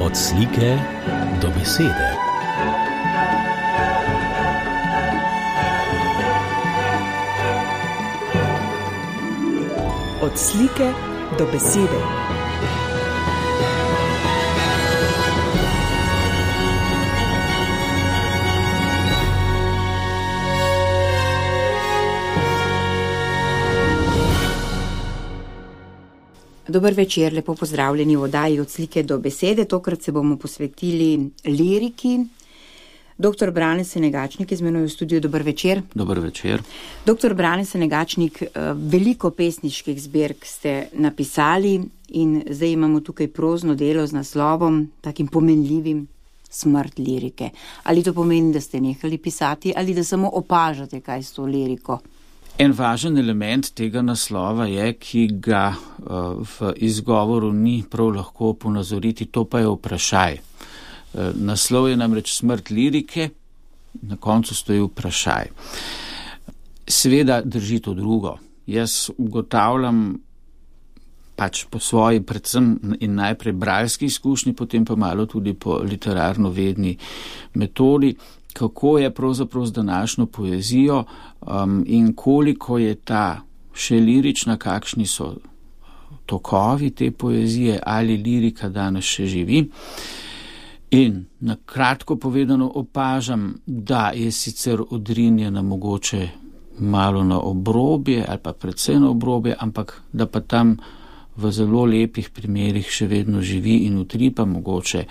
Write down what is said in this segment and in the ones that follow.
Od slike do besede. Od slike do besede. Dober večer, lepo pozdravljeni v oddaji Od slike do besede. Tokrat se bomo posvetili liriki. Dr. Brane Senegačnik je z menoj v studiu. Dober večer. Dober večer. Dr. Brane Senegačnik, veliko pesniških zbirk ste napisali in zdaj imamo tukaj prozno delo z naslovom, takim pomenljivim, Smrt lirike. Ali to pomeni, da ste nehali pisati ali da samo opažate, kaj s to liriko? En važen element tega naslova je, ki ga v izgovoru ni prav lahko ponazoriti, to pa je vprašaj. Naslov je namreč Smrt lirike, na koncu stoji vprašaj. Seveda drži to drugo. Jaz ugotavljam pač po svoji predvsem in najprej bralski izkušnji, potem pa malo tudi po literarno-vedni metodi, kako je pravzaprav z današnjo poezijo in koliko je ta še lirična, kakšni so tokovi te poezije, ali lirika danes še živi. In na kratko povedano opažam, da je sicer odrinjena mogoče malo na obrobje ali pa predvsem na obrobje, ampak da pa tam v zelo lepih primerih še vedno živi in utripa mogoče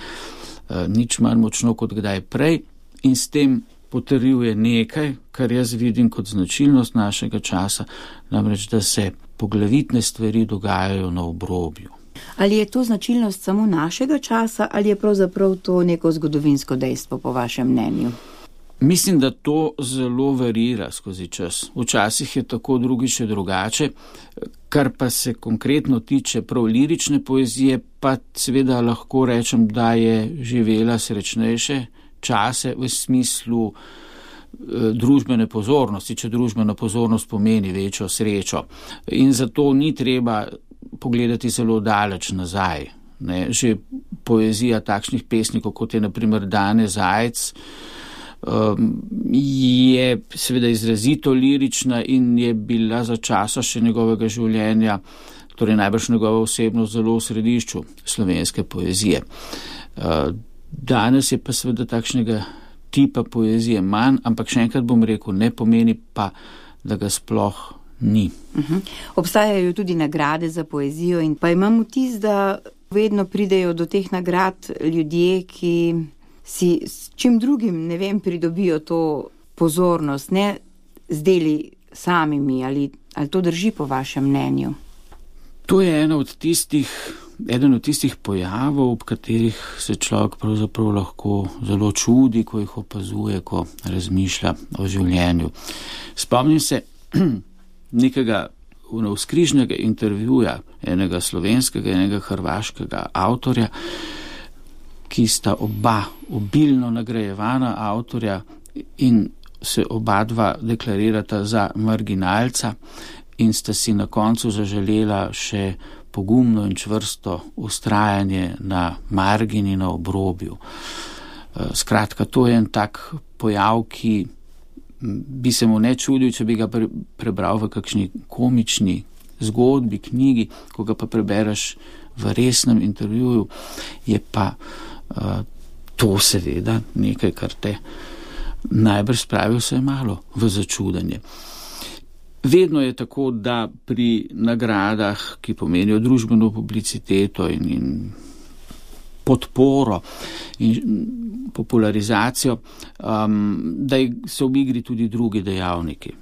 nič manj močno kot kdaj prej. In s tem potrjuje nekaj, kar jaz vidim kot značilnost našega časa, namreč, da se poglavitne stvari dogajajo na obrobju. Ali je to značilnost samo našega časa ali je pravzaprav to neko zgodovinsko dejstvo po vašem mnenju? Mislim, da to zelo varira skozi čas. Včasih je tako, drugič je drugače. Kar pa se konkretno tiče prav lirične poezije, pa seveda lahko rečem, da je živela srečnejše čase v smislu družbene pozornosti, če družbena pozornost pomeni večjo srečo. In zato ni treba pogledati zelo daleč nazaj. Ne? Že poezija takšnih pesnikov, kot je na primer Dane Zajc, je seveda izrazito lirična in je bila za časa še njegovega življenja, torej najbrž njegova osebnost, zelo v središču slovenske poezije. Danes je pa seveda takšnega tipa poezije manj, ampak še enkrat bom rekel, ne pomeni pa, da ga sploh ni. Obstajajo tudi nagrade za poezijo in pa imam vtis, da vedno pridejo do teh nagrad ljudje, ki si s čim drugim, ne vem, pridobijo to pozornost, ne z deli samimi, ali to drži po vašem mnenju? To je eden od tistih pojavov, ob katerih se človek pravzaprav lahko zelo čudi, ko jih opazuje, ko razmišlja o življenju. Spomnim se nekega navzkrižnega intervjuja enega slovenskega, enega hrvaškega avtorja, ki sta oba obilno nagrajevana avtorja in se oba dva deklarirata za marginalca in sta si na koncu zaželela še pogumno in čvrsto vztrajanje na margini, na obrobju. Skratka, to je en tak pojav, ki bi se mu ne čudil, če bi ga prebral v kakšni komični zgodbi, knjigi, ko ga pa prebereš v resnem intervjuju, je pa to seveda nekaj, kar te najbrž spravi vse malo v začudenje. Vedno je tako, da pri nagradah, ki pomenijo družbeno publiciteto in podporo in popularizacijo, da so v igri tudi drugi dejavniki.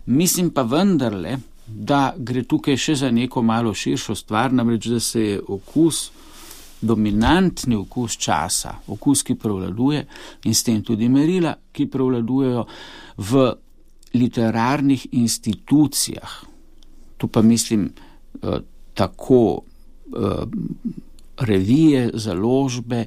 Mislim pa vendarle, da gre tukaj še za neko malo širšo stvar, namreč, da se je dominantni okus časa, okus, ki prevladuje in s tem tudi merila, ki prevladujejo v literarnih institucijah. Tu pa mislim tako revije, založbe,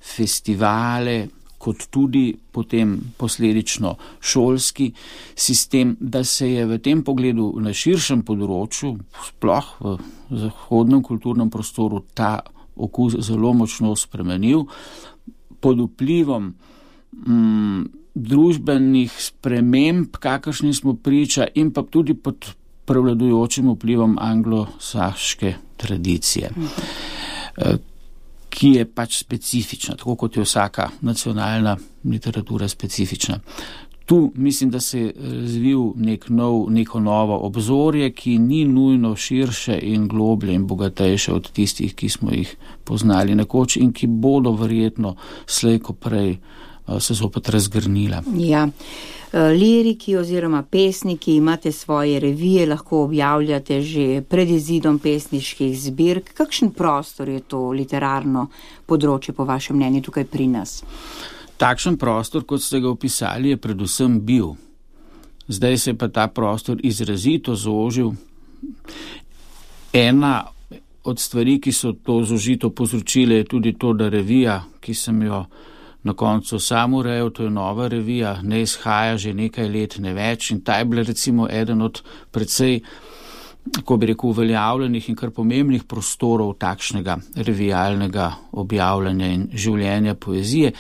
festivale, kot tudi potem posledično šolski sistem, da se je v tem pogledu na širšem področju, sploh v zahodnem kulturnem prostoru, ta okus zelo močno spremenil pod vplivom družbenih sprememb, kakršni smo priča, in pa tudi pod prevladujočim vplivom anglosaške tradicije, ki je pač specifična, tako kot je vsaka nacionalna literatura specifična. Tu mislim, da se je razvil neko novo obzorje, ki ni nujno širše in globlje in bogatejše od tistih, ki smo jih poznali nekoč in ki bodo verjetno slej ko prej se zopet razgrnila. Ja. Liriki oziroma pesniki imate svoje revije, lahko objavljate že pred izidom pesniških zbirk. Kakšen prostor je to literarno področje po vašem mnenju tukaj pri nas? Takšen prostor, kot ste ga opisali, je predvsem bil. Zdaj se je pa ta prostor izrazito zožil. Ena od stvari, ki so to zožito povzročile, je tudi to, da revija, ki sem jo na koncu sam urejal, to je nova revija, ne izhaja že nekaj let, ne več, in ta je bila recimo eden od precej, kako bi rekel, uveljavljenih in kar pomembnih prostorov takšnega revijalnega objavljanja in življenja poezije,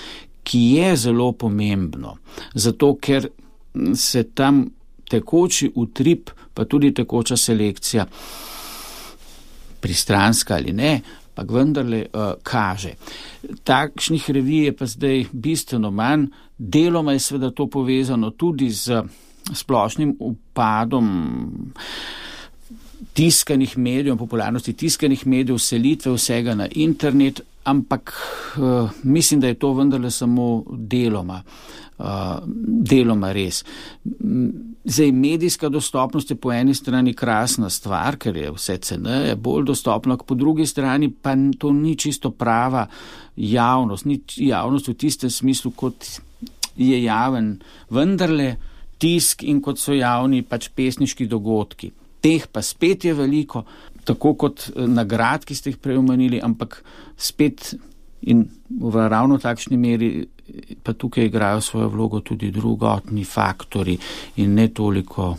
ki je zelo pomembno, zato ker se tam tekoči utrip, pa tudi tekoča selekcija, pristranska ali ne, pa vendarle kaže. Takšnih revij je pa zdaj bistveno manj, deloma je seveda to povezano tudi z splošnim upadom tiskanih medijev, popularnosti tiskanih medijev, selitve vsega na internet, ampak mislim, da je to vendarle samo deloma res. Zdaj, medijska dostopnost je po eni strani krasna stvar, ker je vse ceneje, bolj dostopno, po drugi strani pa to ni čisto prava javnost, ni javnost v tistem smislu, kot je javen vendarle tisk in kot so javni pač pesniški dogodki. Teh pa spet je veliko, tako kot nagrad, ki ste jih prej omenili, ampak spet in v ravno takšni meri pa tukaj igrajo svojo vlogo tudi drugotni faktori in ne toliko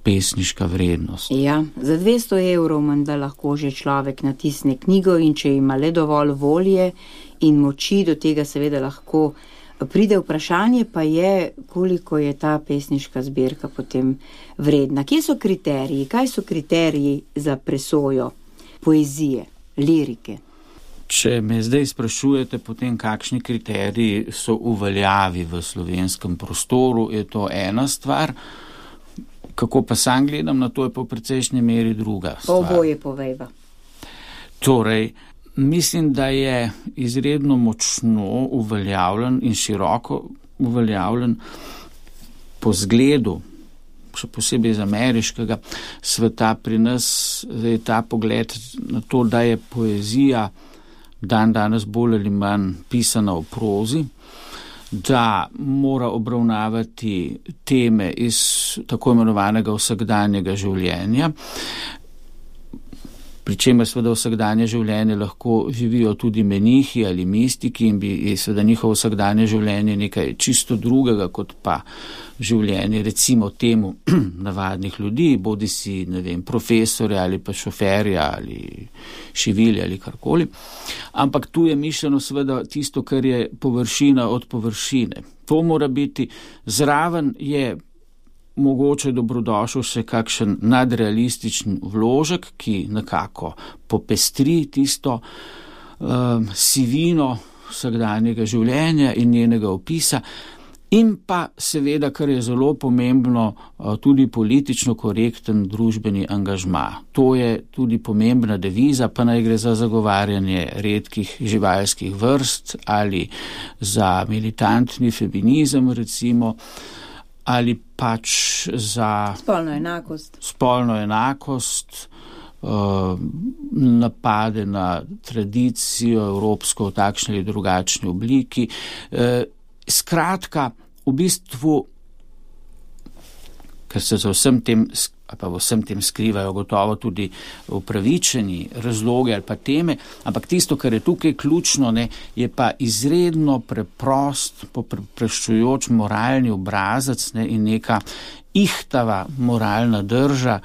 pesniška vrednost. Ja, za 200 € menda lahko že človek natisne knjigo in če ima le dovolj volje in moči, do tega seveda lahko pride. Vprašanje pa je, koliko je ta pesniška zbirka potem vredna. Kje so kriteriji? Kaj so kriteriji za presojo poezije, lirike? Če me zdaj sprašujete potem, kakšni kriteriji so v veljavi v slovenskem prostoru, je to ena stvar. Kako pa sam gledam na to, je pa v precejšnji meri druga stvar. Oboje povejva. Torej, mislim, da je izredno močno uveljavljen in široko uveljavljen po zgledu, še posebej iz ameriškega sveta pri nas, je ta pogled na to, da je poezija danes bolj ali manj pisana v prozi, da mora obravnavati teme iz tako imenovanega vsakdanjega življenja, pri čemer seveda vsakdanje življenje lahko živijo tudi menihi ali mistiki in bi seveda njihovo vsakdanje življenje nekaj čisto drugega kot pa življenje recimo temu navadnih ljudi, bodi si, ne vem, profesorja ali pa šoferja ali šivilja ali karkoli. Ampak tu je mišljeno seveda tisto, kar je površina od površine. To mora biti, zraven je mogoče dobrodošel še kakšen nadrealističen vložek, ki nekako popestri tisto sivino vsakdanjega življenja in njenega opisa, in pa seveda, kar je zelo pomembno, tudi politično korekten družbeni angažma. To je tudi pomembna deviza, pa naj gre za zagovarjanje redkih živalskih vrst ali za militantni feminizem recimo, ali pač za spolno enakost, napade na tradicijo evropsko v takšni ali drugačni obliki. Skratka, v bistvu, ker se za vsem tem skrivajo gotovo tudi upravičeni razlogi ali pa teme, ampak tisto, kar je tukaj ključno, je pa izredno preprost, popreščujoč moralni obrazac in neka ihtava moralna drža,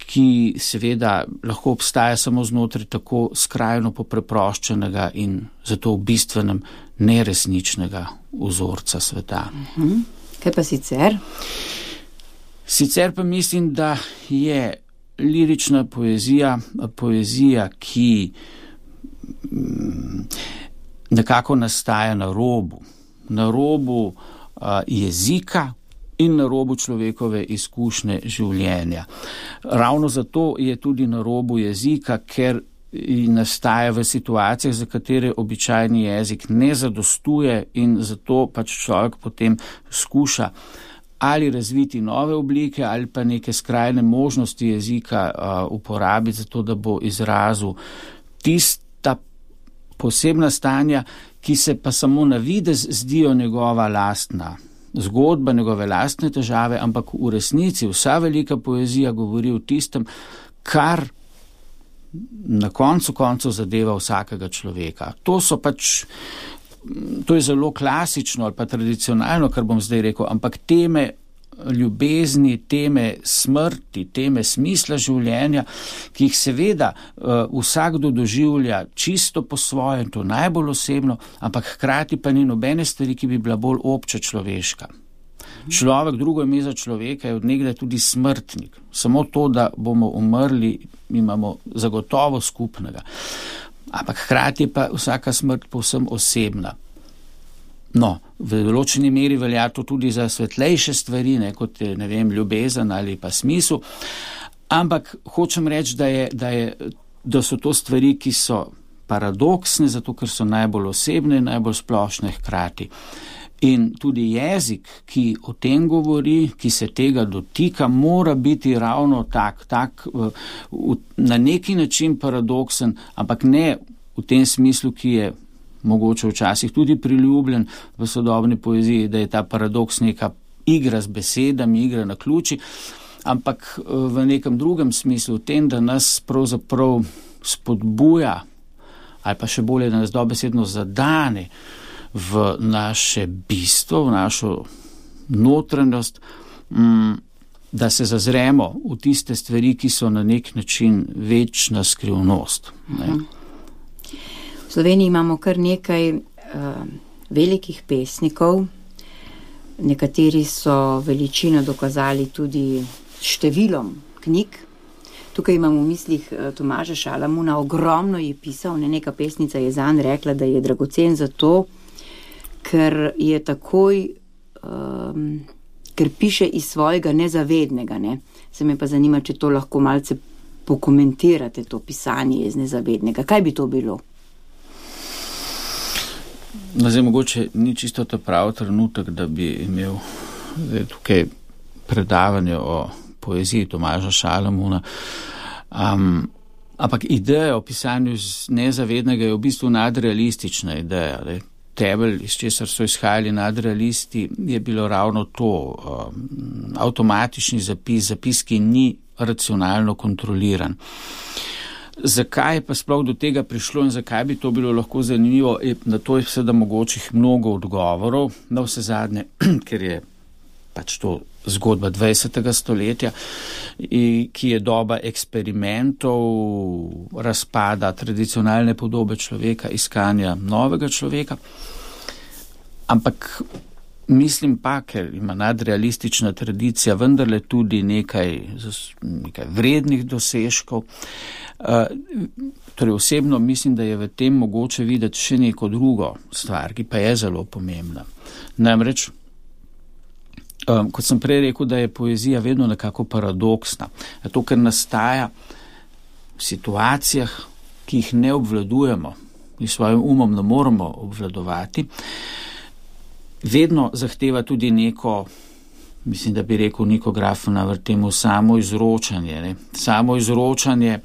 ki seveda lahko obstaja samo znotraj tako skrajno popreproščenega in zato v bistvenem neresničnega vzorca sveta. Kaj pa sicer? Sicer pa mislim, da je lirična poezija, ki nekako nastaja na robu jezika in na robu človekove izkušnje življenja. Ravno zato je tudi na robu jezika, ker nastaja v situacijah, za katere običajni jezik ne zadostuje in zato pač človek potem skuša ali razviti nove oblike ali pa neke skrajne možnosti jezika uporabiti za to, da bo izrazil tista posebna stanja, ki se pa samo na videz zdijo njegova lastna zgodba, njegove lastne težave, ampak v resnici vsa velika poezija govori o tistem, kar na koncu zadeva vsakega človeka. To je zelo klasično ali pa tradicionalno, kar bom zdaj rekel, ampak teme ljubezni, teme smrti, teme smisla življenja, ki jih seveda vsakdo doživlja čisto po svoje, to najbolj osebno, ampak hkrati pa ni nobene stvari, ki bi bila bolj obče človeška. Človek, drugo ime za človeka, je od nekdaj tudi smrtnik. Samo to, da bomo umrli, imamo zagotovo skupnega. Ampak hkrati pa vsaka smrt povsem osebna. No, v določeni meri velja to tudi za svetlejše stvari, kot je, ljubezen ali pa smisel, ampak hočem reči, da so to stvari, ki so paradoksne, zato ker so najbolj osebne in najbolj splošne hkrati. In tudi jezik, ki o tem govori, ki se tega dotika, mora biti ravno tak na neki način paradoksen, ampak ne v tem smislu, ki je mogoče včasih tudi priljubljen v sodobni poeziji, da je ta paradoks neka igra z besedami, igra na ključi, ampak v nekem drugem smislu, v tem, da nas pravzaprav spodbuja, ali pa še bolje, da nas dobesedno zadane v naše bistvo, v našo notranjost, da se zazremo v tiste stvari, ki so na nek način večna skrivnost. V Sloveniji imamo kar nekaj velikih pesnikov, nekateri so veličino dokazali tudi številom knjig. Tukaj imam v mislih Tomaža Šalamuna, ogromno je pisal, neka pesnica je zanj rekla, da je dragocen zato, ker je takoj, ker piše iz svojega nezavednega. Se me pa zanima, če to lahko malce pokomentirate, to pisanje iz nezavednega. Kaj bi to bilo? Zdaj, mogoče ni čisto ta pravi trenutek, da bi imel tukaj predavanje o poeziji Tomaža Šalamuna, ampak ideja o pisanju iz nezavednega je v bistvu nadrealistična ideja. Temelj, iz česar so izhajali nadrealisti, je bilo ravno to, avtomatični zapis, ki ni racionalno kontroliran. Zakaj pa sploh do tega prišlo in zakaj bi to bilo lahko zanimivo, na to je seveda mogočih mnogo odgovorov, na vse zadnje, ker je pač to zgodba 20. stoletja, ki je doba eksperimentov, razpada tradicionalne podobe človeka, iskanja novega človeka. Ampak mislim pa, ker ima nadrealistična tradicija vendarle tudi nekaj vrednih dosežkov. Torej osebno mislim, da je v tem mogoče videti še neko drugo stvar, ki pa je zelo pomembna. Namreč, kot sem prej rekel, da je poezija vedno nekako paradoksna. Zato, ker nastaja v situacijah, ki jih ne obvladujemo in svojim umom ne moremo obvladovati, vedno zahteva tudi neko, mislim, da bi rekel Niko Grafena v temu samoizročanje. Samoizročanje,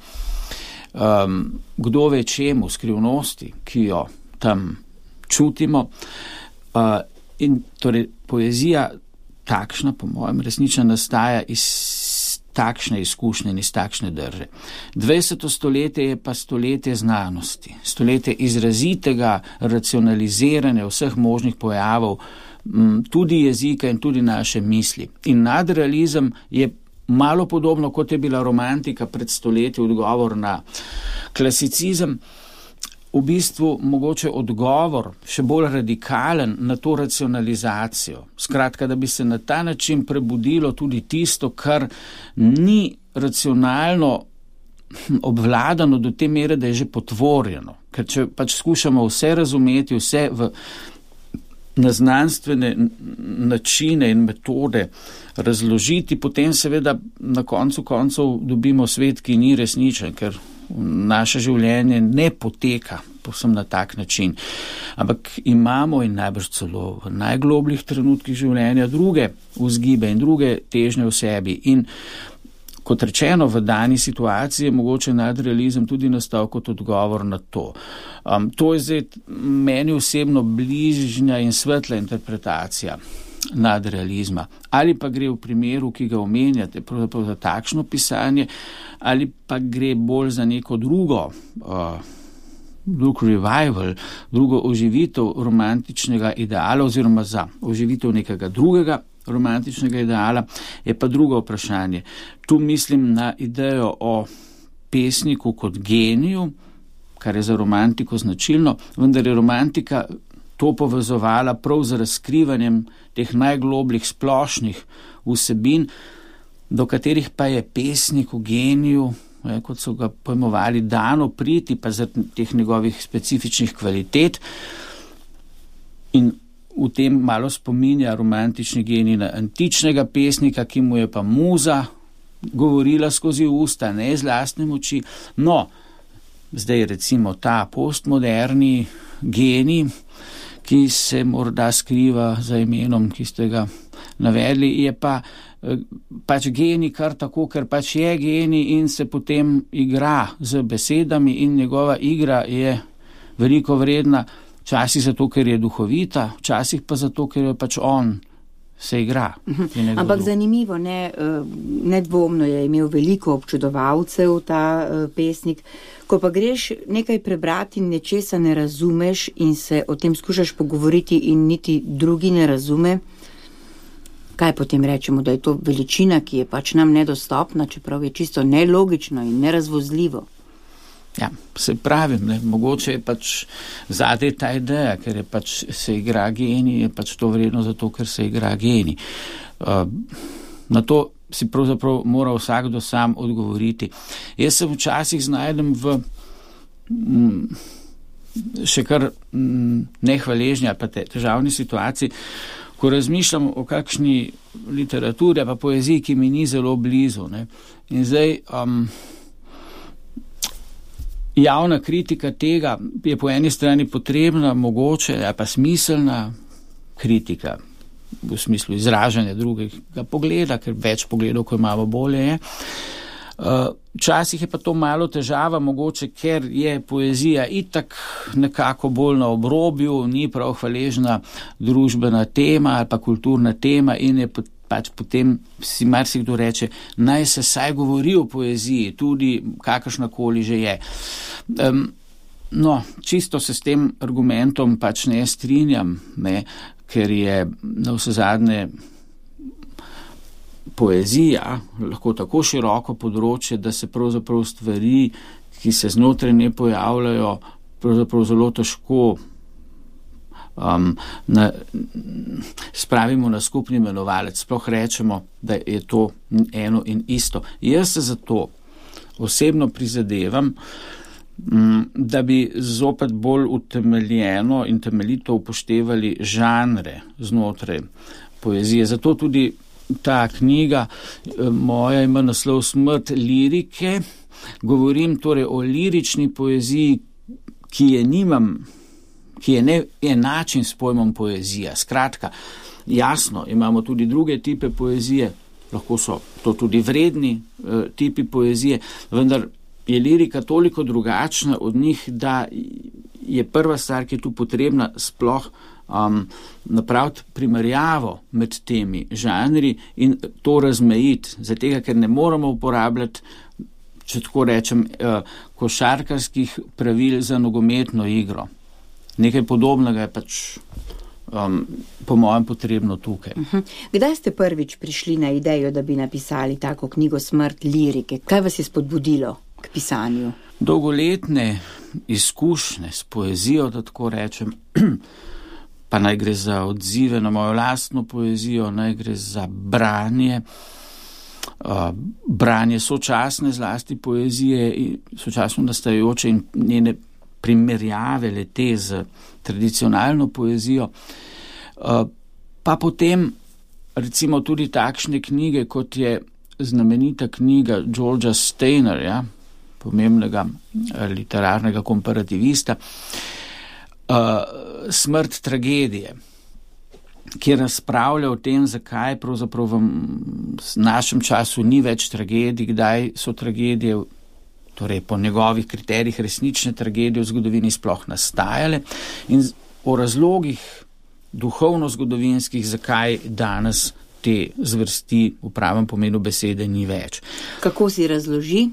kdo ve čemu, skrivnosti, ki jo tam čutimo. In torej poezija takšna, po mojem, resnično nastaja iz takšne izkušnje in iz takšne drže. 20. stoletje je pa stoletje znanosti, stoletje izrazitega racionaliziranja vseh možnih pojavov, tudi jezika in tudi naše misli. In nadrealizem je malo podobno, kot je bila romantika pred stoletji odgovor na klasicizem, v bistvu mogoče odgovor še bolj radikalen na to racionalizacijo. Skratka, da bi se na ta način prebudilo tudi tisto, kar ni racionalno obvladano do te mere, da je že potvorjeno. Ker če pač skušamo vse razumeti, vse na znanstvene načine in metode razložiti, potem seveda na koncu koncev dobimo svet, ki ni resničen, ker naše življenje ne poteka povsem na tak način. Ampak imamo in najbrž celo v najglobljih trenutkih življenja druge vzgibe in druge težnje v sebi. In kot rečeno, v dani situaciji je mogoče nadrealizem tudi nastal kot odgovor na to. To je zdaj meni osebno bližnja in svetla interpretacija nadrealizma. Ali pa gre v primeru, ki ga omenjate, pravzaprav za takšno pisanje, ali pa gre bolj za neko drug revival, drugo oživitev romantičnega ideala oziroma za oživitev nekega drugega romantičnega ideala, je pa drugo vprašanje. Tu mislim na idejo o pesniku kot geniju, kar je za romantiko značilno, vendar je romantika to povezovala prav z razkrivanjem teh najglobljih splošnih vsebin, do katerih pa je pesniku geniju, kot so ga pojmovali, dano priti, pa zaradi teh njegovih specifičnih kvalitet. In v tem malo spominja romantični genij na antičnega pesnika, ki mu je pa muza govorila skozi usta, ne z lastne moči. No, zdaj recimo ta postmoderni genij, ki se morda skriva za imenom, ki ste ga navedli, je pač genij kar tako, ker pač je genij in se potem igra z besedami in njegova igra je veliko vredna, včasih zato, ker je duhovita, včasih pa zato, ker je pač on se igra. Ampak zanimivo, nedvomno je imel veliko občudovalcev ta pesnik. Ko pa greš nekaj prebrati in nečesa ne razumeš in se o tem skušaš pogovoriti in niti drugi ne razume, kaj potem rečemo, da je to veličina, ki je pač nam nedostopna, čeprav je čisto nelogično in nerazvozljivo. Ja, se pravim, mogoče je pač zadaj ta ideja, ker je pač se igra genij, je pač to vredno zato, ker se igra genij. Na to si pravzaprav mora vsakdo sam odgovoriti. Jaz se včasih znajdem v še kar nehvaležni ali pa težavni situaciji, ko razmišljam o kakšni literaturi pa poeziji, ki mi ni zelo blizu. In zdaj javna kritika tega je po eni strani potrebna, mogoče, pa smiselna kritika v smislu izražanja drugega pogleda, ker več pogledov, ko imamo, bolje je. Včasih je pa to malo težava, mogoče, ker je poezija itak nekako bolj na obrobju, ni prav hvaležna družbena tema ali pa kulturna tema in je pač potem si marsikdo reče, naj se saj govori o poeziji, tudi kakršnakoli že je. No, čisto se s tem argumentom pač ne strinjam, ker je na vsezadnje poezija lahko tako široko področje, da se pravzaprav stvari, ki se znotraj ne pojavljajo, pravzaprav zelo težko spravimo na skupni imenovalec. Sploh rečemo, da je to eno in isto. Jaz se zato osebno prizadevam, da bi zopet bolj utemeljeno in temeljito upoštevali žanre znotraj poezije. Zato tudi ta knjiga moja ima naslov Smrt lirike. Govorim torej o lirični poeziji, ki je ne enačen s pojmom poezija. Skratka, jasno, imamo tudi druge tipe poezije, lahko so to tudi vredni tipi poezije, vendar je lirika toliko drugačna od njih, da je prva stvar, ki je tu potrebna, sploh napraviti primerjavo med temi žanri in to razmejiti, zato ker ne moramo uporabljati, če tako rečem, košarkarskih pravil za nogometno igro. Nekaj podobnega je pač po mojem potrebno tukaj. Kdaj ste prvič prišli na idejo, da bi napisali tako knjigo Smrt lirike? Kaj vas je spodbudilo k pisanju? Dolgoletne izkušnje s poezijo, da tako rečem, pa naj gre za odzive na mojo lastno poezijo, naj gre za branje sočasne zlasti poezije, sočasno nastajajoče in njene primerjave lete z tradicionalno poezijo, pa potem recimo tudi takšne knjige, kot je znamenita knjiga Georgea Steinerja, pomembnega literarnega komparativista, Smrt tragedije, ki razpravlja o tem, zakaj pravzaprav v našem času ni več tragedij, kdaj so tragedije, torej po njegovih kriterijih resnične tragedije v zgodovini sploh nastajale in o razlogih duhovno-zgodovinskih, zakaj danes te zvrsti v pravem pomenu besede ni več. Kako si razloži?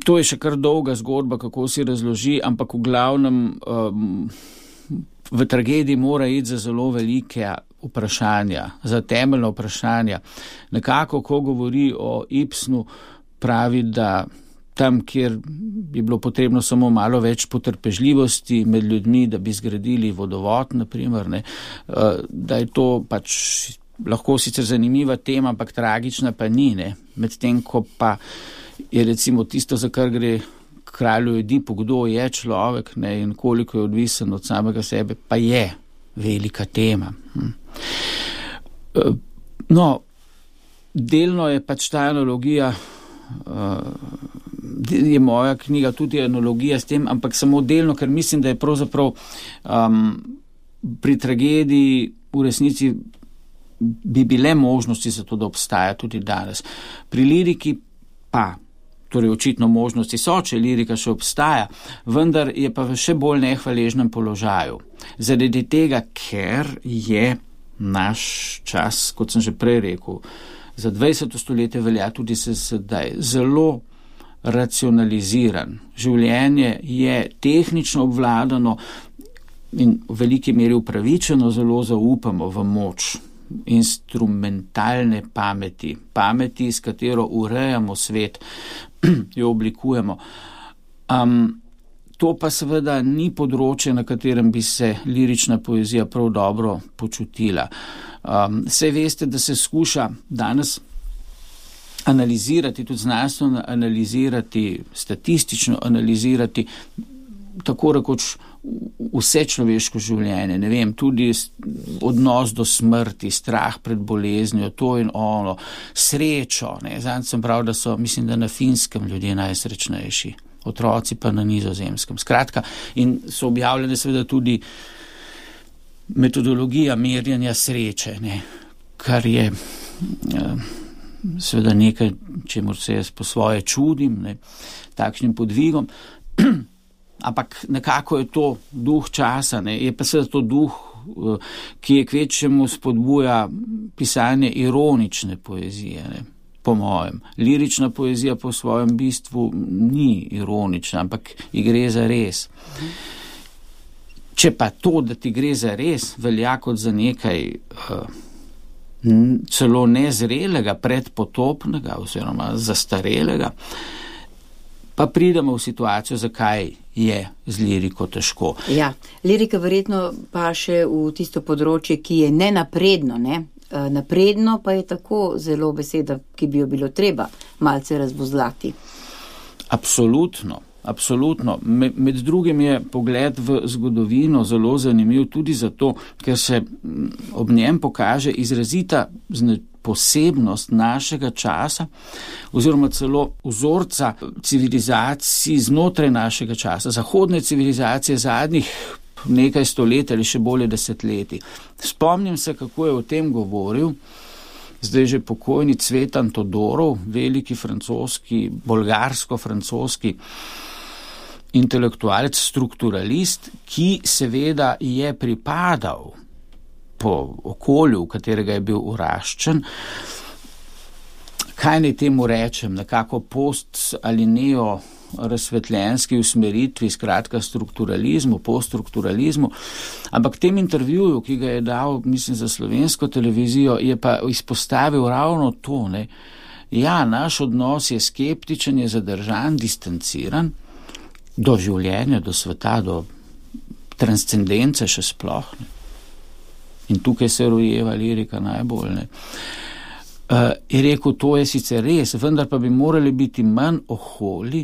To je še kar dolga zgodba, kako si razloži, ampak v glavnem v tragediji mora iti za zelo velike vprašanja, za temeljna vprašanja. Nekako, ko govori o Ibsenu, pravi, da tam, kjer bi bilo potrebno samo malo več potrpežljivosti med ljudmi, da bi zgradili vodovod, naprimer, da je to pač lahko sicer zanimiva tema, ampak tragična pa ni, medtem ko pa je recimo tisto, za kar gre kralju Edipu, kdo je človek in koliko je odvisen od samega sebe, pa je velika tema. No, delno je pač ta analogija, je moja knjiga tudi analogija s tem, ampak samo delno, ker mislim, da je pravzaprav pri tragediji v resnici bi bile možnosti za to, da obstaja tudi danes. Pri liriki pa, torej očitno možnosti so, če lirika še obstaja, vendar je pa v še bolj nehvaležnem položaju. Zaradi tega, ker je naš čas, kot sem že prej rekel, za 20. stoletje velja tudi sedaj zelo racionaliziran. Življenje je tehnično obvladano in v veliki meri upravičeno zelo zaupamo v moč instrumentalne pameti, s katero urejamo svet, jo oblikujemo. To pa seveda ni področje, na katerem bi se lirična poezija prav dobro počutila. Saj veste, da se skuša danes analizirati, tudi znanstveno analizirati, statistično analizirati, tako rekoč vse človeško življenje, ne vem, tudi odnos do smrti, strah pred boleznijo, to in ono, srečo, Zanj sem prav, da so, mislim, da na Finskem ljudje najsrečnejši, otroci pa na Nizozemskem. Skratka, in so objavljene seveda tudi metodologija merjanja sreče, kar je seveda nekaj, čemur se jaz po svoje čudim, takšnim podvigom. Ampak nekako je to duh časa, je pa seveda to duh, ki je kvečemu spodbuja pisanje ironične poezije, po mojem. Lirična poezija po svojem bistvu ni ironična, ampak ji gre za res. Če pa to, da ti gre za res, velja kot za nekaj celo nezrelega, predpotopnega oziroma zastarelega, pa pridemo v situacijo, zakaj je z liriko težko. Ja, lirika verjetno pa še v tisto področje, ki je nenapredno, Napredno pa je tako zelo beseda, ki bi jo bilo treba malce razvozlati. Absolutno. Med drugim je pogled v zgodovino zelo zanimiv tudi zato, ker se ob njem pokaže izrazita posebnost našega časa oziroma celo vzorca civilizacij znotraj našega časa, zahodne civilizacije zadnjih nekaj stoletij ali še bolje desetletij. Spomnim se, kako je o tem govoril zdaj že pokojni Cvetan Todorov, veliki francoski, bolgarsko-francoski intelektualec, strukturalist, ki seveda je pripadal po okolju, v katerega je bil uraščen. Kaj naj temu rečem, nekako post ali razsvetljenski usmeritvi, skratka strukturalizmu, poststrukturalizmu, ampak v tem intervjuju, ki ga je dal, mislim, za slovensko televizijo, je pa izpostavil ravno to, ne. Ja, naš odnos je skeptičen, je zadržan, distanciran do življenja, do sveta, do transcendence še sploh. Ne. In tukaj se rojeva lirika najbolj. Ne. Je rekel, to je sicer res, vendar pa bi morali biti manj oholi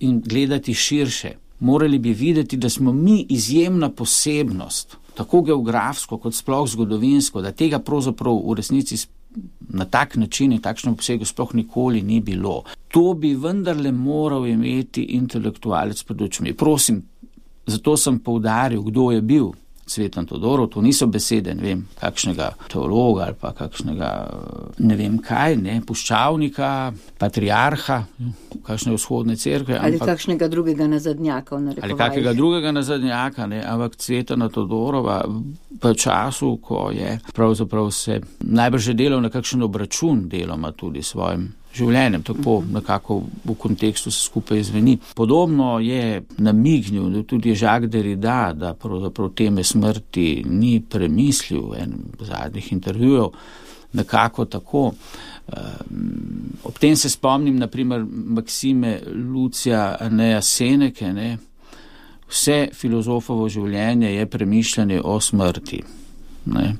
in gledati širše. Morali bi videti, da smo mi izjemna posebnost, tako geografsko kot sploh zgodovinsko, da tega pravzaprav v resnici na tak način in takšnem obsegu sploh nikoli ni bilo. To bi vendarle moral imeti intelektualec pred očmi. Prosim, zato sem poudaril, kdo je bil Cvetan Todorov, to niso besede, ne vem, kakšnega teologa ali pa kakšnega, ne vem kaj, ne, puščavnika, patriarha, kakšne vzhodne cerkve. Ali kakšnega drugega nazadnjaka v narekovajih. Ali kakega drugega nazadnjaka, ne, ampak Cvetana Todorova v času, ko je pravzaprav se najbrž delal na kakšen obračun deloma tudi svojim življenjem, tako nekako v kontekstu se skupaj zveni. Podobno je namignil tudi Jacques Derrida, da pravzaprav teme smrti ni premislil v enem zadnjih intervjujev, nekako tako. Ob tem se spomnim, naprimer, Maksime Lucija Aneja Seneke, ne. Vse filozofovo življenje je premišljanje o smrti, ne.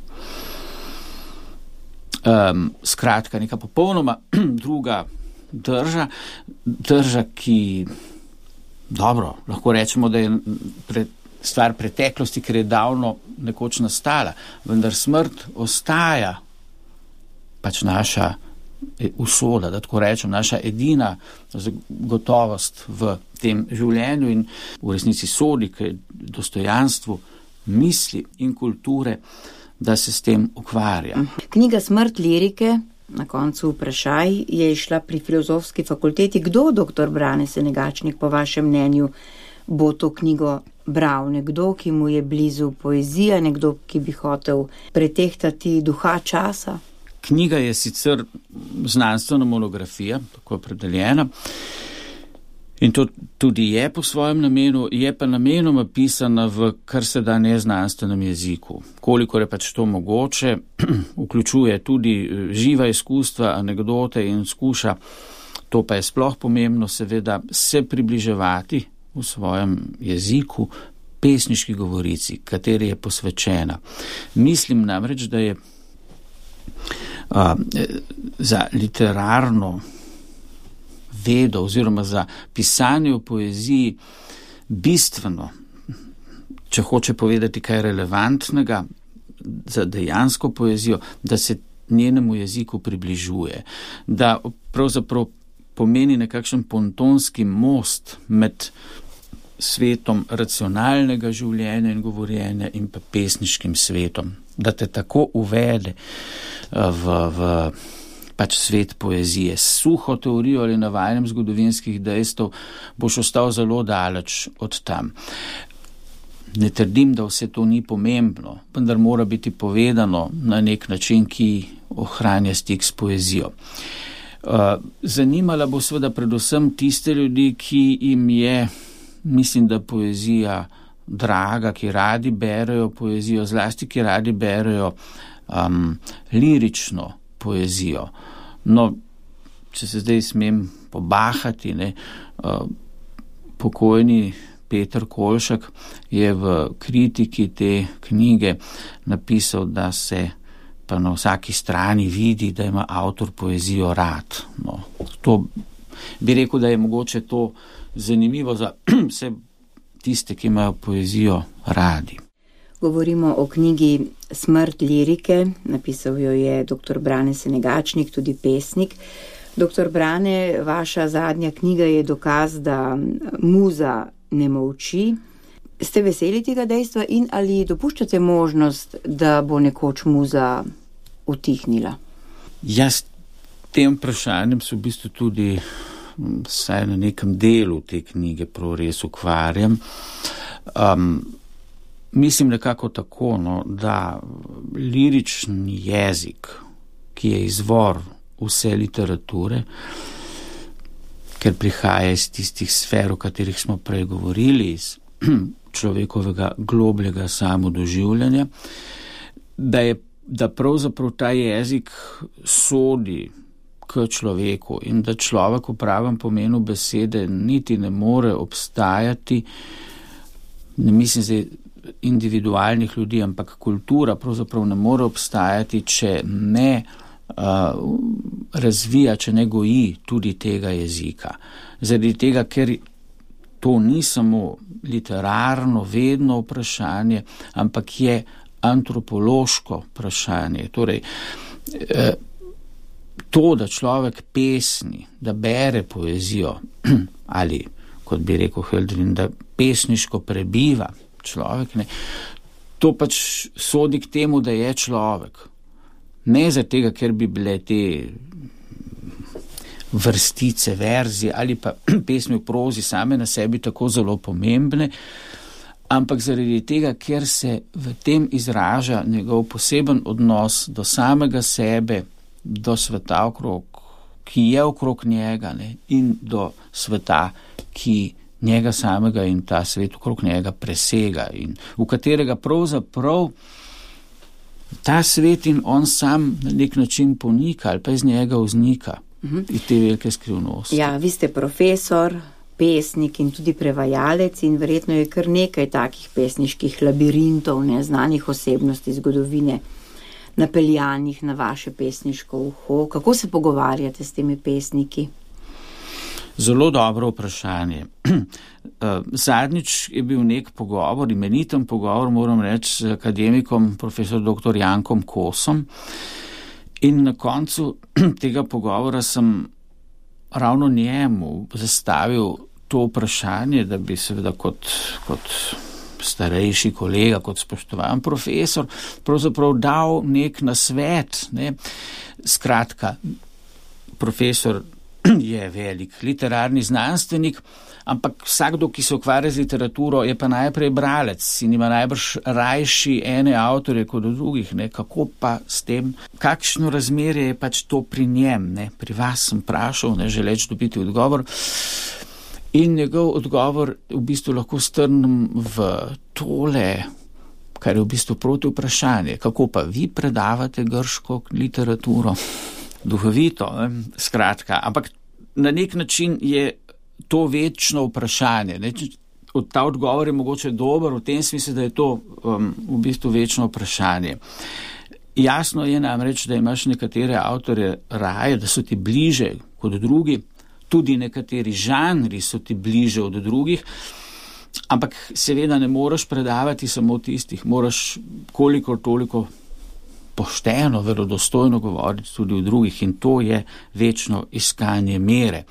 Skratka, neka popolnoma druga drža, ki, dobro, lahko rečemo, da je stvar preteklosti, ker je davno nekoč nastala, vendar smrt ostaja pač naša usoda, da tako rečem, naša edina gotovost v tem življenju in v resnici sodi k dostojanstvu misli in kulture, da se s tem ukvarja. Knjiga Smrt lirike, na koncu vprašaj, je išla pri Filozofski fakulteti. Kdo, dr. Brane Senegačnik, po vašem mnenju, bo to knjigo bral? Nekdo, ki mu je blizu poezija, nekdo, ki bi hotel pretehtati duha časa? Knjiga je sicer znanstvena monografija, tako opredeljena, in to tudi je po svojem namenu, je pa namenoma pisana v kar se da neznanstvenem jeziku. Kolikor je pač to mogoče, vključuje tudi živa izkustva, anekdote in skuša, to pa je sploh pomembno, seveda, se približevati v svojem jeziku pesniški govorici, kateri je posvečena. Mislim namreč, da je za literarno vedo oziroma za pisanje v poeziji bistveno, če hoče povedati kaj relevantnega za dejansko poezijo, da se njenemu jeziku približuje, da pravzaprav pomeni nekakšen pontonski most med svetom racionalnega življenja in govorjenja in pa pesniškim svetom, da te tako uvede v pač svet poezije. S suho teorijo ali navajanjem zgodovinskih dejstev boš ostal zelo daleč od tam. Ne trdim, da vse to ni pomembno, vendar mora biti povedano na nek način, ki ohranja stik s poezijo. Zanimala bo seveda predvsem tiste ljudi, ki jim je, mislim, da poezija draga, ki radi berejo poezijo, zlasti ki radi berejo lirično poezijo. No, če se zdaj smem pobahati, ne, pokojni Peter Kolšak je v kritiki te knjige napisal, da se pa na vsaki strani vidi, da ima avtor poezijo rad. No, to bi rekel, da je mogoče to zanimivo za vse tiste, ki imajo poezijo radi. Govorimo o knjigi Smrt lirike, napisal jo je dr. Brane Senegačnik, tudi pesnik. Dr. Brane, vaša zadnja knjiga je dokaz, da muza ne molči. Ste veseli tega dejstva in ali dopuščate možnost, da bo nekoč muza utihnila? Jaz tem vprašanjem se v bistvu tudi vsaj na nekem delu te knjige prav res ukvarjam. Mislim nekako tako, no, da lirični jezik, ki je izvor vse literature, ker prihaja iz tistih sfer, o katerih smo prej govorili, iz človekovega globljega samodoživljanja, da pravzaprav ta jezik sodi k človeku in da človek v pravem pomenu besede niti ne more obstajati, ne mislim zdaj individualnih ljudi, ampak kultura pravzaprav ne more obstajati, če ne razvija, če ne goji tudi tega jezika. Zaradi tega, ker to ni samo literarno, vedno vprašanje, ampak je antropološko vprašanje. Torej, to, da človek pesni, da bere poezijo, ali, kot bi rekel Hölderlin, da pesniško prebiva človek, ne, to pač sodi k temu, da je človek. Ne zaradi tega, ker bi bile te vrstice, verzi ali pa pesmi v prozi same na sebi tako zelo pomembne, ampak zaradi tega, ker se v tem izraža njegov poseben odnos do samega sebe, do sveta okrog, ki je okrog njega, ne, in do sveta, ki njega samega in ta svet okrog njega presega in v katerega pravzaprav ta svet in on sam na nek način ponika ali pa iz njega vznika, iz te velike skrivnosti. Ja, vi ste profesor, pesnik in tudi prevajalec in verjetno je kar nekaj takih pesniških labirintov, neznanih osebnosti zgodovine, napeljanih na vaše pesniško uho. Kako se pogovarjate s temi pesniki? Zelo dobro vprašanje. Zadnjič je bil nek pogovor, imeniten pogovor, moram reči, z akademikom, profesor dr. Jankom Kosom. In na koncu tega pogovora sem ravno njemu zastavil to vprašanje, da bi seveda kot starejši kolega, kot spoštovan profesor, pravzaprav dal nek nasvet. Ne. Skratka, profesor je velik literarni znanstvenik, ampak vsakdo, ki se ukvarja z literaturo, je pa najprej bralec in ima najbrž rajši ene avtorje kot drugih. Ne. Kako pa s tem, kakšno razmerje je pač to pri njem? Ne. Pri vas sem vprašal, ne želeč dobiti odgovor. In njegov odgovor v bistvu lahko strnem v tole, kar je v bistvu proti vprašanje. Kako pa vi predavate grško literaturo? Duhovito, skratka. Ampak na nek način je to večno vprašanje. Ne? Ta odgovor je mogoče dober v tem smislu, da je to v bistvu večno vprašanje. Jasno je namreč, da imaš nekatere avtorje raje, da so ti bliže kot drugi, tudi nekateri žanri so ti bliže od drugih, ampak seveda ne moreš predavati samo tistih, moraš kolikor toliko pošteno, verodostojno govoriti tudi o drugih in to je večno iskanje mere.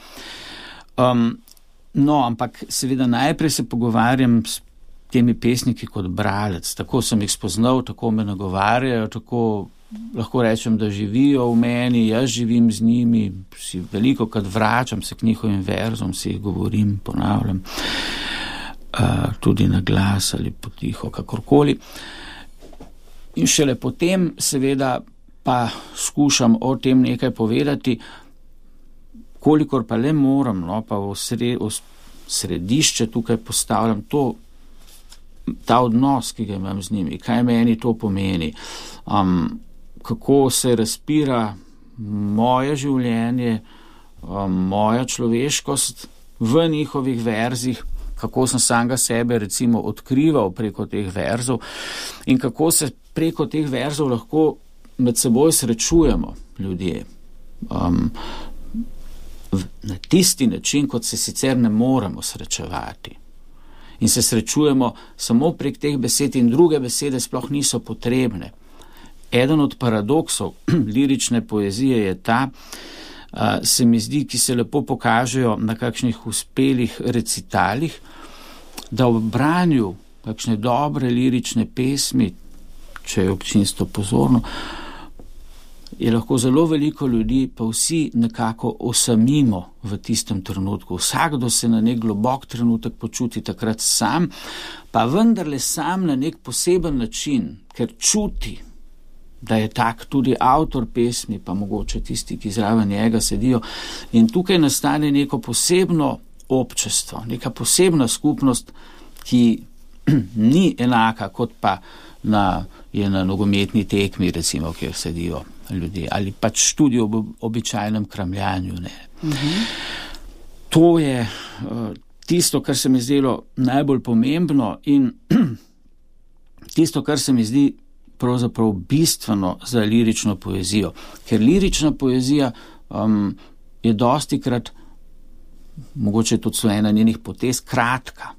No, ampak seveda najprej se pogovarjam s temi pesniki kot bralec. Tako sem jih spoznal, tako me nagovarjajo, tako lahko rečem, da živijo v meni, jaz živim z njimi, si veliko krat vračam se k njihovim verzom, si jih govorim, ponavljam, tudi na glas ali potiho, kakorkoli. In šele potem seveda pa skušam o tem nekaj povedati, kolikor pa le moram, no, pa v središče tukaj postavljam ta odnos, ki ga imam z njimi, kaj meni to pomeni, kako se razpira moje življenje, moja človeškost v njihovih verzih, kako sem samega sebe recimo odkrival preko teh verzov in kako se preko teh verzov lahko med seboj srečujemo ljudje. Na tisti način, kot se sicer ne moremo srečevati. In se srečujemo samo prek teh besed in druge besede sploh niso potrebne. Eden od paradoksov lirične poezije je ta, se mi zdi, ki se lepo pokažejo na kakšnih uspelih recitalih, da ob branju kakšne dobre lirične pesmi, če je občinstvo pozorno, je lahko zelo veliko ljudi, pa vsi nekako osamimo v tistem trenutku. Vsakdo se na nek globok trenutek počuti takrat sam, pa vendarle sam na nek poseben način, ker čuti da je tak tudi avtor pesmi, pa mogoče tisti, ki zraven njega sedijo. In tukaj nastane neko posebno občestvo, neka posebna skupnost, ki ni enaka, kot pa je na nogometni tekmi, recimo, kjer sedijo ljudje, ali pač tudi ob običajnem kramljanju. To je tisto, kar se mi zdelo najbolj pomembno in tisto, kar se mi zdi pravzaprav bistveno za lirično poezijo. Ker lirična poezija je dostikrat, mogoče tudi so ena njenih potez, kratka.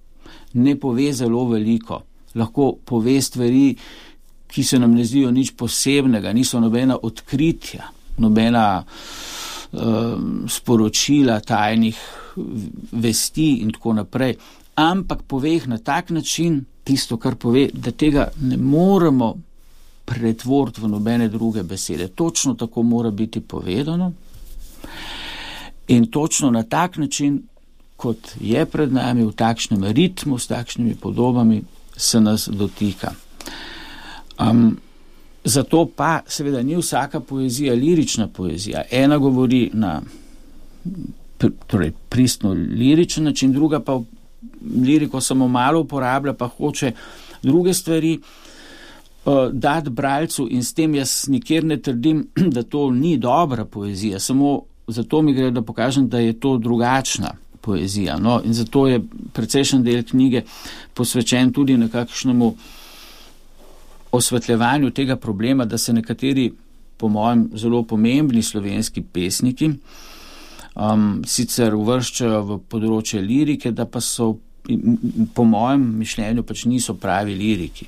Ne pove zelo veliko. Lahko pove stvari, ki se nam ne zdijo nič posebnega, niso nobena odkritja, nobena sporočila tajnih vesti in tako naprej. Ampak pove jih na tak način, tisto, kar pove, da tega ne moremo pretvoriti v nobene druge besede. Točno tako mora biti povedano in točno na tak način, kot je pred nami, v takšnem ritmu, s takšnimi podobami, se nas dotika. Zato pa seveda ni vsaka poezija lirična poezija. Ena govori na pristno liričen način, druga pa liriko samo malo uporablja, pa hoče druge stvari dati bralcu in s tem jaz nikjer ne trdim, da to ni dobra poezija, samo zato mi gre, da pokažem, da je to drugačna poezija. No, in zato je precejšen del knjige posvečen tudi nekakšnemu osvetljevanju tega problema, da se nekateri, po mojem, zelo pomembni slovenski pesniki sicer uvrščajo v področje lirike, da pa so, po mojem mišljenju, pač niso pravi liriki.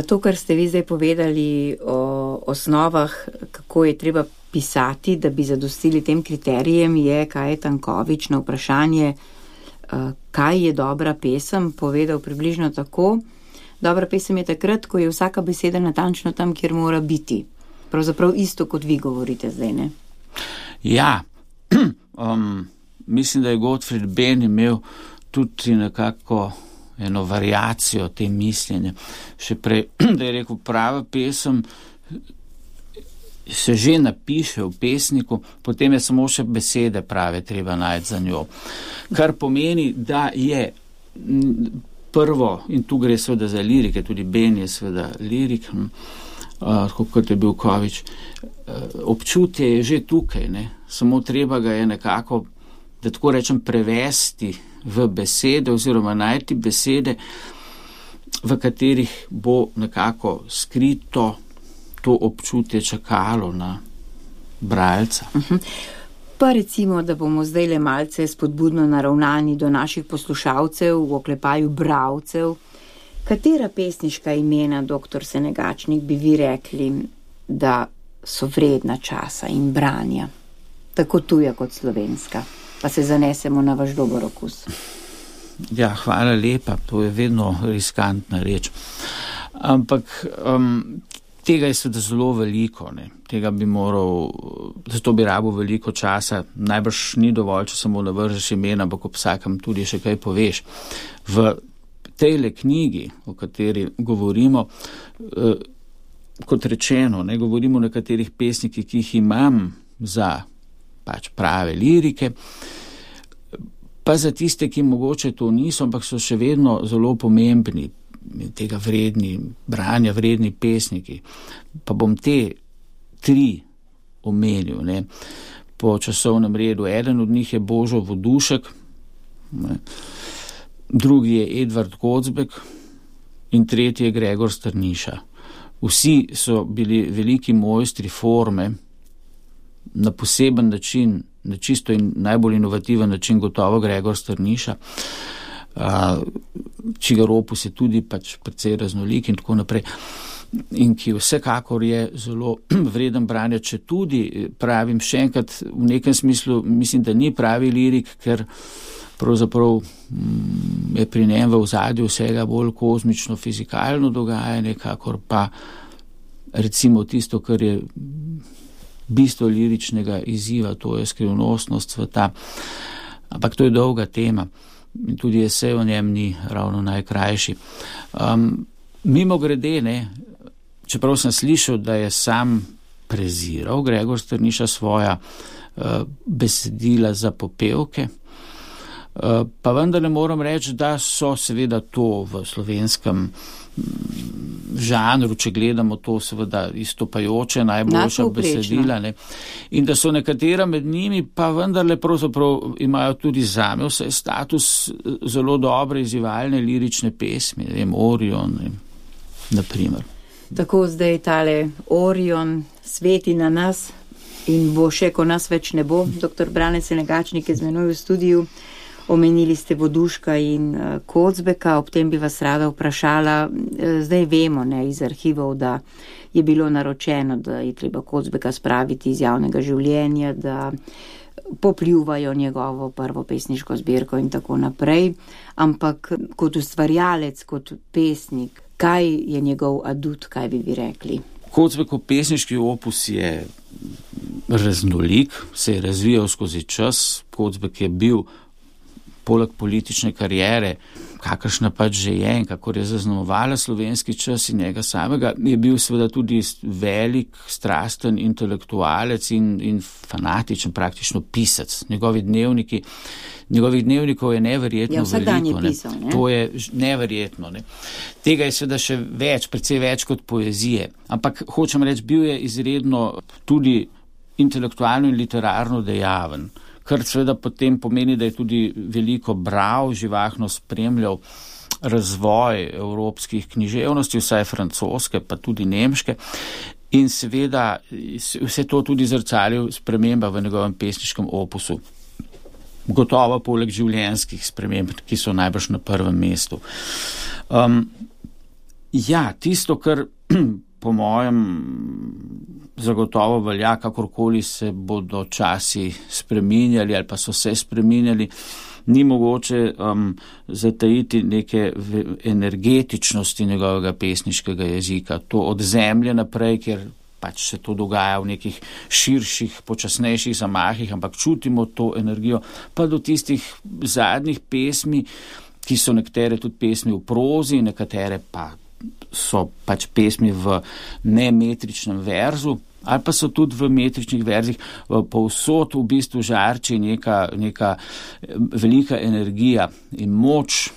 To, kar ste vi zdaj povedali o osnovah, kako je treba pisati, da bi zadostili tem kriterijem, je Kaj Tanković na vprašanje, kaj je dobra pesem, povedal približno tako. Dobra pesem je takrat, ko je vsaka beseda natančno tam, kjer mora biti. Pravzaprav isto, kot vi govorite zdaj, ne? Ja, mislim, da je Gottfried Benn imel tudi nekako eno variacijo te mišljenja. Še prej, da je rekel, prava pesem se že napiše v pesniku, potem je samo še besede prave treba najti za njo. Kar pomeni, da je prvo, in tu gre seveda za lirike, tudi Benn je seveda lirik, kot je bil Kovič, občutje je že tukaj, ne? Samo treba ga je nekako, da tako rečem, prevesti v besede oziroma najti besede, v katerih bo nekako skrito to občutje čakalo na bralca. Pa recimo, da bomo zdaj le malce spodbudno naravnani do naših poslušalcev, v oklepaju bralcev. Katera pesniška imena, doktor Senegačnik, bi vi rekli, da so vredna časa in branja? Tako tuja kot slovenska. Pa se zanesemo na vaš dober okus. Ja, hvala lepa. To je vedno riskantna reč. Ampak tega je seveda zelo veliko, ne. Tega bi moral, zato bi rabil veliko časa. Najbrž ni dovolj, če samo navržeš imena, ampak ob vsakem tudi še kaj poveš. V tejle knjigi, o kateri govorimo, kot rečeno, ne govorimo o nekaterih pesnikih, ki jih imam za pač prave lirike, pa za tiste, ki mogoče to niso, ampak so še vedno zelo pomembni, tega vredni, branja vredni pesniki. Pa bom te 3 omenil, ne, po časovnem redu. Eden od njih je Božo Vodušek, ne, drugi je Edvard Kocbek in tretji je Gregor Strniša. Vsi so bili veliki mojstri forme, na poseben način, na čisto in najbolj inovativen način gotovo Gregor Strniša, čigar opus je tudi pač precej raznolik in tako naprej, in ki vsekakor je zelo vreden branja, če tudi pravim še enkrat, v nekem smislu mislim, da ni pravi lirik, ker pravzaprav je pri njem v ozadju vsega bolj kozmično fizikalno dogajanje, kakor pa recimo tisto, kar je bistvo liričnega izziva, to je skrivnostnost sveta. Ampak to je dolga tema in tudi esej o njem ni ravno najkrajši. Mimo grede, ne, čeprav sem slišal, da je sam preziral Gregor Strniša svoja besedila za popevke, pa vendar ne moram reči, da so seveda to v slovenskem žanru, če gledamo to seveda istopajoče, najboljša besedila, ne, in da so nekatera med njimi pa vendarle pravzaprav imajo tudi zame vse status zelo dobre izzivalne lirične pesmi, ne vem, Orion, na primer. Tako zdaj tale Orion sveti na nas in bo še, ko nas več ne bo. Dr. Brane Senegačnik je z menoj v studiju. Omenili ste Voduška in Kocbeka, ob tem bi vas rada vprašala, zdaj vemo, ne, iz arhivov, da je bilo naročeno, da je treba Kocbeka spraviti iz javnega življenja, da popljuvajo njegovo prvo pesniško zbirko in tako naprej, ampak kot ustvarjalec, kot pesnik, kaj je njegov adut, kaj bi vi rekli? Kocbekov pesniški opus je raznolik, se je razvijal skozi čas. Kocbek je bil poleg politične kariere, kakršna pač že je in kakor je zaznamovala slovenski čas in njega samega, je bil seveda tudi velik, strasten intelektualec in fanatičen, praktično pisec. Njegovih dnevnikov je neverjetno veliko. Pisal, ne? To je neverjetno. Ne? Tega je seveda še več, precej več kot poezije. Ampak hočem reči, bil je izredno tudi intelektualno in literarno dejaven, kar seveda potem pomeni, da je tudi veliko bral, živahno spremljal razvoj evropskih književnosti, vsaj francoske, pa tudi nemške, in seveda vse to tudi zrcalil sprememba v njegovem pesniškem opusu. Gotovo poleg življenjskih sprememb, ki so najbrž na prvem mestu. Tisto, kar po mojem zagotovo velja, kakorkoli se bodo časi spreminjali ali pa so se spreminjali, ni mogoče zatajiti neke energetičnosti njegovega pesniškega jezika. To od zemlje naprej, kjer pač se to dogaja v nekih širših, počasnejših zamahih, ampak čutimo to energijo, pa do tistih zadnjih pesmi, ki so nekatere tudi pesmi v prozi, nekatere pa so pač pesmi v nemetričnem verzu, ali pa so tudi v metričnih verzih, povsod v bistvu žarči neka velika energija in moč,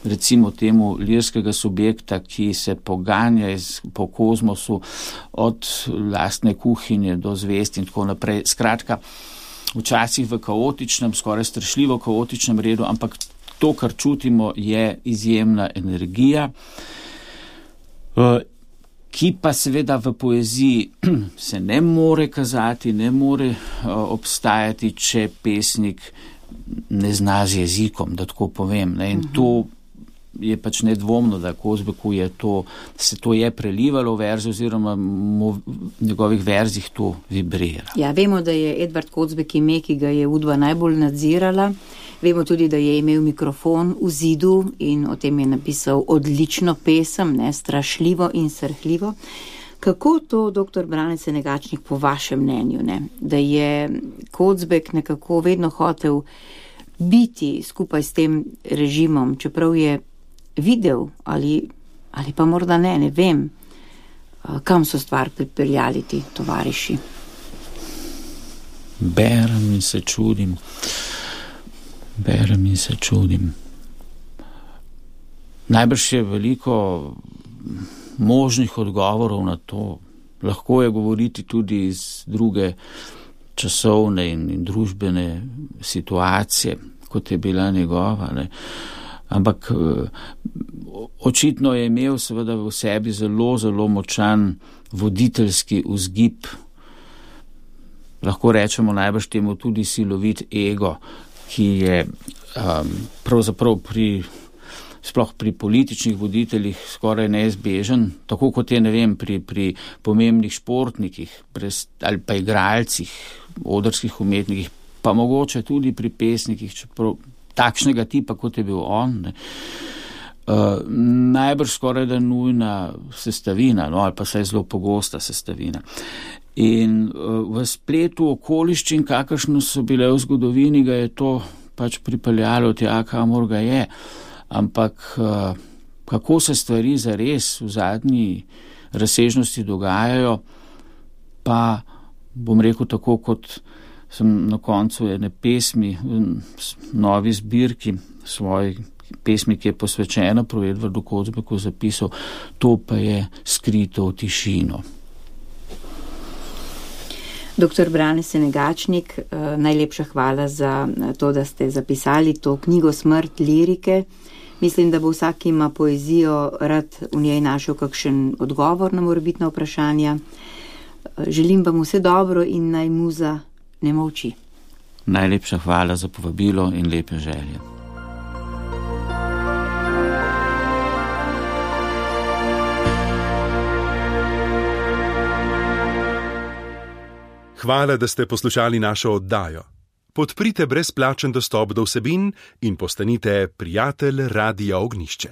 recimo temu lirskega subjekta, ki se poganja po kozmosu od lastne kuhinje do zvezd in tako naprej. Skratka, včasih v kaotičnem, skoraj strašljivo kaotičnem redu, ampak to, kar čutimo, je izjemna energija, ki pa seveda v poeziji se ne more kazati, ne more obstajati, če pesnik ne zna z jezikom, da tako povem. Ne? In to je pač nedvomno, da Kocbeku se to je prelivalo v verzi oziroma v njegovih verzih to vibrira. Ja, vemo, da je Edvard Kocbek ime, ki ga je Udba najbolj nadzirala. Vemo tudi, da je imel mikrofon v zidu in o tem je napisal odlično pesem, ne, strašljivo in srhljivo. Kako to, dr. Brane Senegačnik, po vašem mnenju, ne, da je Kocbek nekako vedno hotel biti skupaj s tem režimom, čeprav je videl ali pa morda ne vem, kam so stvar pripeljali ti tovariši? Berem in se čudim. Najbrž je veliko možnih odgovorov na to. Lahko je govoriti tudi iz druge časovne in družbene situacije, kot je bila njegova, ne. Ampak očitno je imel seveda v sebi zelo, zelo močan voditeljski vzgib. Lahko rečemo najbrž temu tudi silovit ego, ki je pravzaprav sploh pri političnih voditeljih skoraj neizbežen, tako kot je, ne vem, pri pomembnih športnikih ali pa igralcih, odrskih umetnikih, pa mogoče tudi pri pesnikih, čeprav takšnega tipa, kot je bil on, ne. Najbrž skoraj da nujna sestavina, ali pa saj zelo pogosta sestavina. In v spletu okoliščin, kakršno so bile v zgodovini, ga je to pač pripeljalo tja, kamor ga je. Ampak kako se stvari zares v zadnji razsežnosti dogajajo, pa bom rekel tako, kot sem na koncu ene pesmi, novi zbirki svoji pesmi, ki je posvečena prav Edvardu Kozbeku, zapisal, to pa je skrito v tišino. Doktor Brane Senegačnik, najlepša hvala za to, da ste zapisali to knjigo Smrt lirike. Mislim, da bo vsak, ki ima poezijo, rad v njej našel kakšen odgovor na morebitna vprašanja. Želim vam vse dobro in naj muza ne molči. Najlepša hvala za povabilo in lepe želje. Hvala, da ste poslušali našo oddajo. Podprite brezplačen dostop do vsebin in postanite prijatelj Radia Ognjišče.